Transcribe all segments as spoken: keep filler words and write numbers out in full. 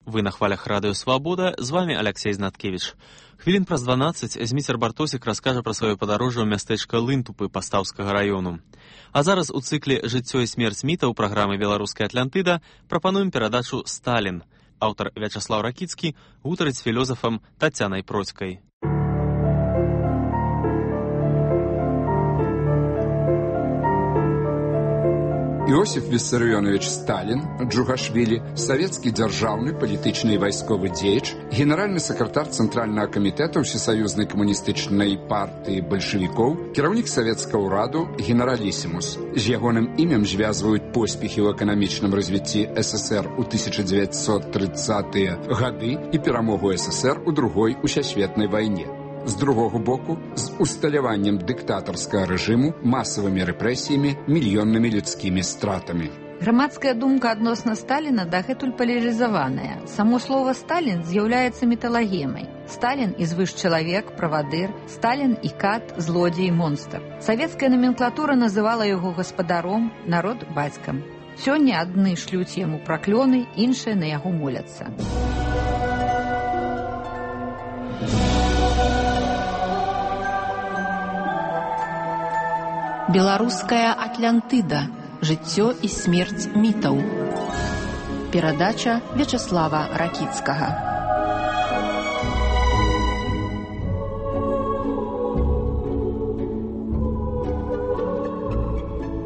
Вы на хвалях радыё «Свабода», з вами Алексей Знаткевич. Хвілін праз дванаццаць Зміцер Бартосік раскажа пра сваё падарожжа ў мястэчка Лынтупы Пастаўскага раёну. А зараз у цыкле «Жыццё і смерць мітаў» праграмы «Беларуская Атлантыда» прапануем перадачу «Сталін». Аўтар Вячаслаў Ракіцкі гутарыць з філёзафам Тацянай Процькай. Иосиф Виссарионович Сталин, Джугашвили, советский державный, политичный и войсковый деятель, генеральный секретарь Центрального комитета Всесоюзной коммунистической партии большевиков, кіраўнік советского ураду, генералиссимус. З ягоным імем звязывают поспехи в экономичном развитии СССР у тысяча девятьсот тридцатые годы и перамогу СССР у другой усесветной войне. З другого боку, з усталяваннем дыктатарскага рэжыму, масавымі рэпрэсіямі, мільённымі людскімі стратамі. Грамадская думка адносна Сталіна дагэтуль палярызаваная. Само слово «Сталін» з'яўляецца міталагемай. Сталін і звышчалавек, правадыр, Сталін і кат, злодзей, монстр. Савецкая номенклатура называла яго гаспадаром, народ бацькам. Сёння адны шлюць яму праклёны, іншыя на яго моляцца. Беларуская Атлантыда. Жыццё і смерць мітаў. Перадача Вячаслава Ракіцкага.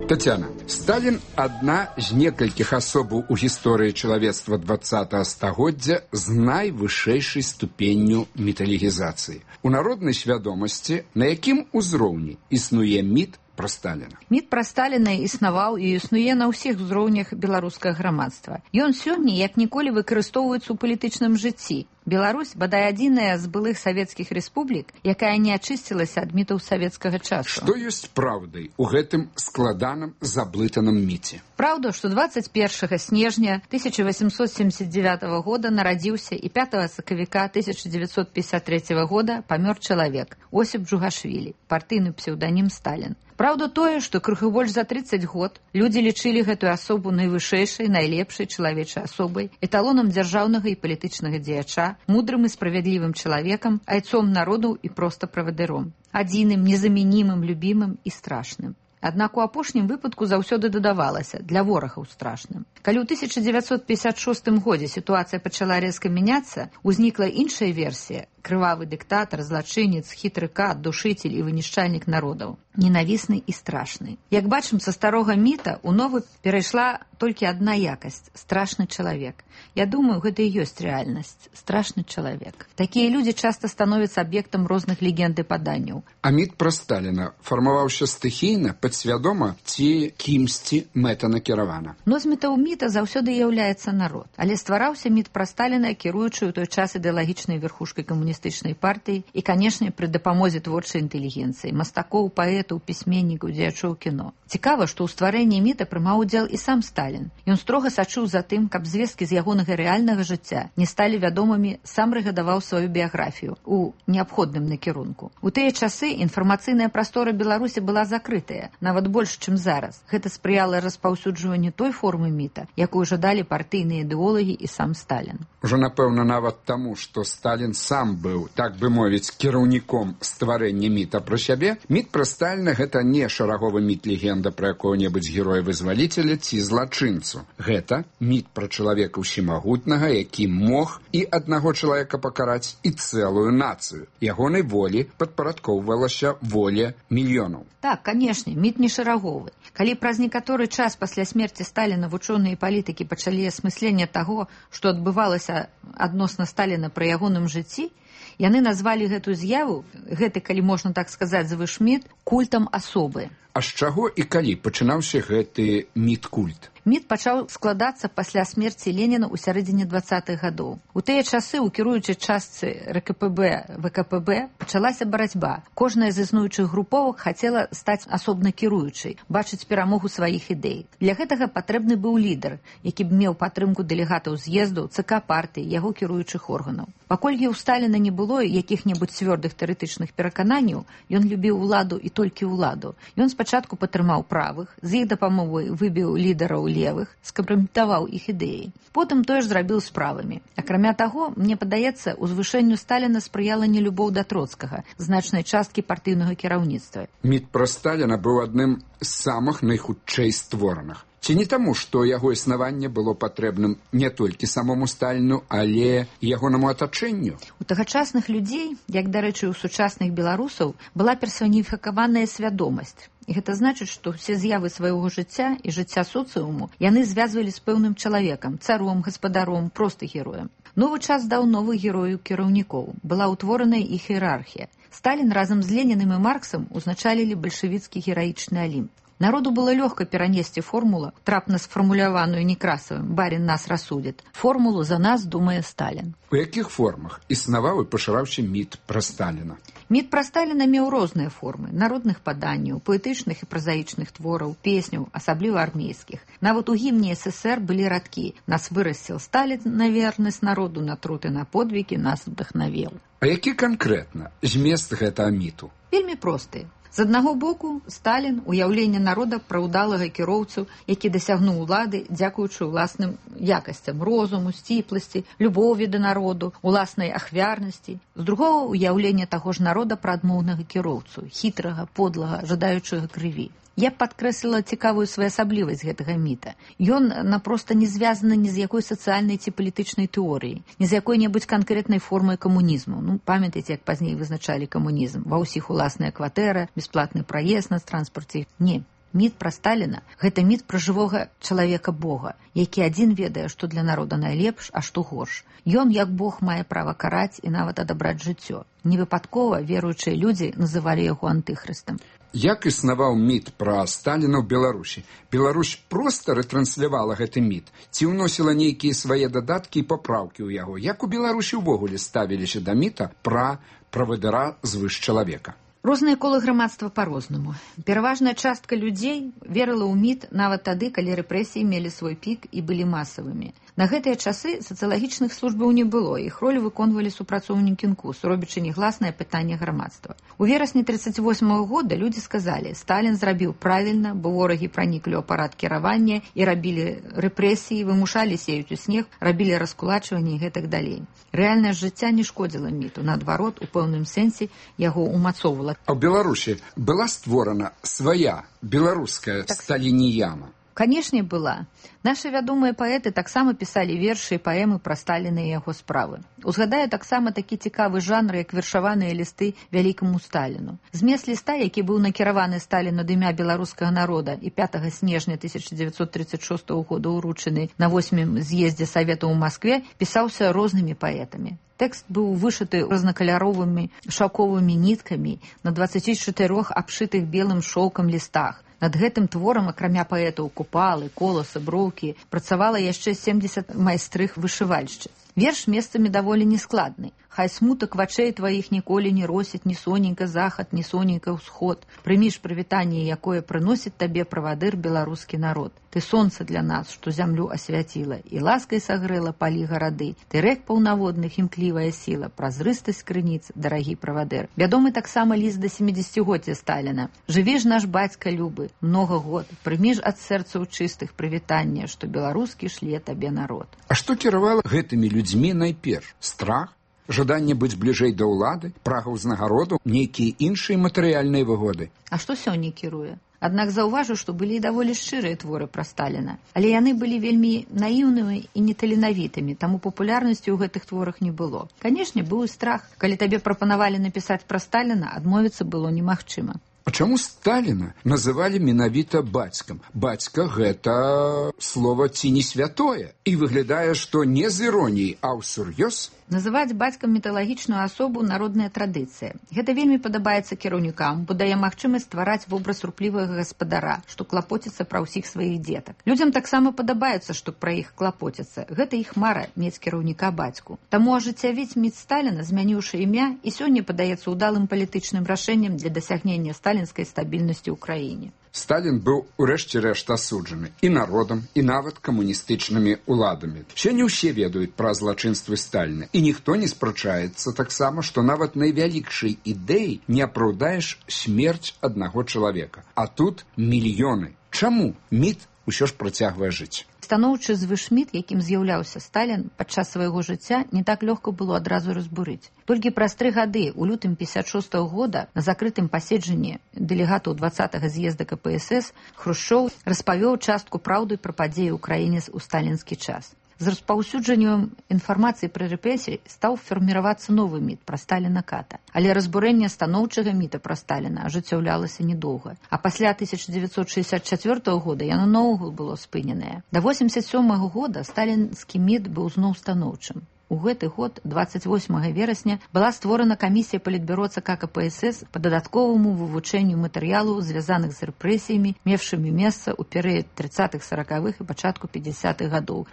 Тацяна, Сталін адна з некалькіх асобаў у гісторыі чалавецтва двадцатага стагоддзя з найвышэйшай ступенню міталігізацыі. У народнай свядомасці, на якім узроўні існуе міт пра Сталіна. Міт пра Сталіна існаваў і існуе на ўсіх узроўнях беларускага грамадства. Ён сёння як ніколі выкарыстоўваецца ў палітычным жыцці. Беларусь, бадай адзіная з былых савецкіх рэспублік, якая не ачысцілася ад мітаў савецкага часу. Што ёсць праўдай у гэтым складаным заблытаным міце? Праўда, што дваццаць першага снежня тысяча восемьсот семьдесят девятого года нарадзіўся і пятого сакавіка тысяча девятьсот пятьдесят третьего года памёр чалавек Осіп Джугашвілі, партыйны псеўданім Сталін. Праўда тое, што крыху больш за тридцать год людзі лічылі гэтую асобу найвышэйшай, найлепшай чалавечай асобай, эталонам дзяржаўнага і палітычнага дзеяча, мудрым і справядлівым чалавекам, айцом народу і проста правадыром. Адзіным, незамянімым, любімым і страшным. Аднак у апошнім выпадку заўсёды дадавалася для ворагаў страшным. Калі ў тысяча девятьсот пятьдесят шостым годзе сітуацыя пачала рэзка мяняцца, узнікла іншая версія – крывавы дыктатар, злачынец, хітры кат, душыцель і вынішчальнік народаў. Ненавісны і страшны. Як бачым, са старога міта ў новы перайшла толькі адна якасць – страшны чалавек. Я думаю, гэта і ёсць рэальнасць – страшны чалавек. Такія людзі часта становяцца аб'ектам розных легенд і паданняў. А міт пра Сталіна фармаваўся стыхійна, падсвядома ці кімсьці мэтанакіравана? Но з мітаў міта заўсёды з'яўляецца народ. Але ствараўся міт пра Сталіна, кіруючы ў той час ідэалагічнай верхушкай камуністычнай партыі і, канешне, пры дапамозе творчай інтэлігенцыі, мастакоў, паэтаў, пісьменнікаў, дзеячоў кіно. Цікава, што ў стварэнні міта прымаў удзел і сам Сталін. Ён строга сачыў за тым, каб звесткі з ягонага рэальнага жыцця не сталі вядомымі, сам рэгадаваў сваю біяграфію у неабходным накірунку. У тыя часы інфармацыйная прастора Беларусі была закрытая, нават больш, чым зараз. Гэта спрыяла распаўсюджванню той формы міта, якую жадалі партыйныя ідэолагі і сам Сталін. Ужо, напэўна, нават таму, што Сталін сам быў, так бы мовіць, кіраўніком стварэння міта пра сябе, міт пра Сталіна гэта не шараговы міт-легенда пра якога-небудзь героя-вызваліцеля ці злачынцу. Гэта міт пра чалавека ўсемагутнага, які мог і аднаго чалавека пакараць, і цэлую нацыю. Ягонай волі падпарадкоўвалася воля мільёнаў. Так, канешне, міт не шараговы. Калі праз некаторы час пасля смерці Сталіна вучоныя і палітыкі пачалі асмысленне таго, што адбывалася адносна Сталіна пры ягоным жыцці, яны назвалі гэтую з'яву, гэты, калі можна так сказаць, звышміт, культам асобы. А з чаго і калі пачынаўся гэты міт-культ? Міт пачаў складацца пасля смерці Леніна ў сярэдзіне двадцатых гадоў. У тыя часы ў кіруючай частцы РКПБ, ВКПБ пачалася барацьба. Кожная з існуючых груповак хацела стаць асобна кіруючай, бачыць перамогу сваіх ідэй. Для гэтага патрэбны быў лідар, які б меў падтрымку дэлегатаў з'ездаў, ЦК партыі, яго кіруючых органаў. Паколькі ў Сталіна не было якіх-небудзь цвёрдых тэарэтычных перакананняў, ён любіў уладу і толькі ўладу. Ён спачатку падтрымаў правых, з іх дапамогай выбіў лідараў левых, скампраметаваў іх ідэі. Потым тое ж зрабіў з правымі. Акрамя таго, мне падаецца, узвышэнню Сталіна спрыяла нелюбоў да Троцкага, значнай часткі партыйнага кіраўніцтва. Міт пра Сталіна быў адным з самых найхутчэй створаных. Ці не таму, што яго існаванне было патрэбным не толькі самому Сталіну, але ягонаму атачэнню? У тагачасных людзей, як, дарэчы, у сучасных беларусаў, была персаніфікаваная свядомасць. І гэта значыць, што ўсе з'явы свайго жыцця і жыцця соцыуму яны звязвалі з пэўным чалавекам, царом, гаспадаром, проста героем. Новы час даў новых герояў кіраўнікоў. Была ўтвораная іх іерархія. Сталін разам з Ленінам і Марксам узначалілі бальшавіцкі гераічны алімп. Народу было лёгка перанесці формулу, трапна сфармуляваную Некрасавым «Барин нас рассудит». Формулу «За нас думае Сталін». У якіх формах існаваў і пашыраўся міт пра Сталіна? Міт пра Сталіна меў розныя формы – народных паданняў, паэтычных і празаічных твораў, песняў, асабліва армейскіх. Нават у гімне эс эс ер былі радкі «Нас вырасціл Сталін на вернасць народу, на труд і на подвігі нас вдахнавіў». А які канкрэтна змест гэтага міту? Вельмі простыя. З аднаго боку, Сталін – уяўленне народа пра ўдалага кіроўцу, які дасягнуў улады, дзякуючы ўласным якасцям – розуму, сціпласці, любові да народу, уласнай ахвярнасці. З другога – уяўленне таго ж народа пра адмоўнага кіроўцу, хітрага, подлага, жадаючага крыві. Я б падкрэсліла цікавую своеасаблівасць гэтага міта. Ён напроста не звязаны ні з якой сацыяльнай ці палітычнай тэорыяй, ні з якой-небудзь канкрэтнай формай камунізму. Ну, памятаеце, як пазней вызначалі камунізм. Ва ўсіх уласная кватэра, бясплатны праезд на транспарце. Не. Міт пра Сталіна – гэта міт пра жывога чалавека-бога, які адзін ведае, што для народа найлепш, а што горш. Ён, як Бог, мае права караць і нават адабраць жыццё. Невыпадкова веруючыя людзі называлі яго антыхрыстам. Як існаваў міт пра Сталіна ў Беларусі? Беларусь проста рэтранслявала гэты міт? Ці ўносіла нейкія свае дадаткі і папраўкі ў яго? Як у Беларусі ўвогуле ставіліся да міта пра правадыра звыш чалавека? Розныя колы грамадства па-рознаму. Пераважная частка людзей верыла ў міт нават тады, калі рэпрэсіі мелі свой пік і былі масавымі. На гэтыя часы сацыялагічных службаў не было, іх ролю выконвалі супрацоўнікі эн ку эс, робячы негласнае пытанне грамадства. У верасні тридцать восьмого года людзі сказалі, Сталін зрабіў правільна, бо ворагі праніклі ў апарат кіравання і рабілі рэпрэсіі, вымушалі сеюць у снег, рабілі раскулачванне і гэтак далей. Рэальнасць жыцця не шкодзіла міту, наадварот, у пэўным сэнсе яго умацоўвала. А ў Беларусі была створана свая беларуская так... сталініяна? Канешне, была. Нашы вядомыя паэты таксама пісалі вершы і паэмы пра Сталіна і яго справы. Узгадаю таксама такі цікавы жанр, як вершаваныя лісты вялікаму Сталіну. Змест ліста, які быў накіраваны Сталіну ад імя беларускага народа і пятага снежня тысяча дзевяцьсот тридцать шостого года ўручаны на восьмым з'ездзе Савету ў Маскве, пісаўся рознымі паэтамі. Тэкст быў вышыты рознакаляровымі шаўковымі ніткамі на дваццаці чатырох абшытых белым шоўкам лістах. Над гэтым творам, акрамя паэтаў Купалы, Коласа, Броўкі, працавала яшчэ семдзесят майстрых вышывальшчыц. Верш месцамі даволі нескладны. Хай смутак вачэй тваіх ніколі не росіць ні соненька захад, ні соненька ўсход. Прыміш прывітанне, якое прыносіць табе правадыр беларускі народ. Ты сонца для нас, што зямлю асвяціла, і ласкай сагрэла палі гарады. Ты рэк паўнаводных імклівая сіла, празрыстасць крыніц, дарагі правадыр. Вядомы таксама ліст да семідзесяцігоддзя Сталіна. Жыві ж наш бацька любы, многа год, прыміш ад сэрцаў чыстых прывітанне, што беларускі шле табе народ. А што кіравала гэтымі людзьмі найперш? Страх? Жаданне быць бліжэй да ўлады, прага ўзнагароду, нейкія іншыя матэрыяльныя выгоды. А што сёння кіруе? Аднак заўважу, што былі даволі шчырыя творы пра Сталіна, але яны былі вельмі наіўнымі і неталенавітымі, таму папулярнасці ў гэтых творах не было. Канешне, быў і страх. Калі табе прапанавалі напісаць пра Сталіна, адмовіцца было немагчыма. А чаму Сталіна называлі менавіта бацькам? Бацька – гэта слова ці не святое. І выглядае, што не з іроніяй, а ўсур'ёз. Называць бацькам міталагічную асобу – народная традыцыя. Гэта вельмі падабаецца кіраўнікам, бо дае магчымасць ствараць вобраз руплівага гаспадара, што клапоціцца пра ўсіх сваіх дзетак. Людзям таксама падабаецца, што пра іх клапоціцца. Гэта іх мара – мець кіраўніка бацьку. Таму ажыццявіць міт Сталіна, змяніўшы імя, і сёння падаецца ўдалым палітычным рашэннем для дасягнення сталінскай стабільнасці ў краіне. Сталін быў урэшце рэшт асуджаны і народам, і нават камуністычнымі ўладамі. Сёння ўсе ведаюць пра злачынствы Сталіна, і ніхто не спрачаецца таксама, што нават найвялікшай ідэі не апраўдаеш смерць аднаго чалавека. А тут мільёны. Чаму міт усё ж працягвае жыць? Станоўчы звышміт, якім з'яўляўся Сталін падчас свайго жыцця, не так лёгка было адразу разбурыць. Толькі праз тры гады, у лютым пятьдесят шостого года, на закрытым паседжанні дэлегатаў двадцатага з'езда ка пэ эс эс, Хрушчоў распавёў частку праўды пра падзеі ў краіне ў сталінскі час. З распаўсюджаннем інфармацыі пра рэпрэсіі стаў фарміравацца новы міт пра Сталіна-ката. Але разбурэнне станоўчага міта пра Сталіна ажыццяўлялася недоўга. А пасля тысяча дзевяцьсот шэсцьдзесят чацвёртага года яно наогул было спыненае. Да восемьдесят сёмага года сталінскі міт быў зноў станоўчым. У гэты год, двадцать восьмага верасня, была створана камісія палітбюро ЦК ка пэ эс эс па дадатковаму вывучэнню матэрыялаў, звязаных з рэпрэсіямі, мевшымі месца ў перыяд трыццатых саракавых і пачатку пятидесятых гадоў.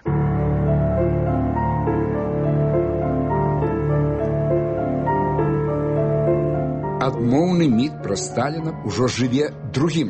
Адмоўны міт пра Сталіна ўжо жыве другім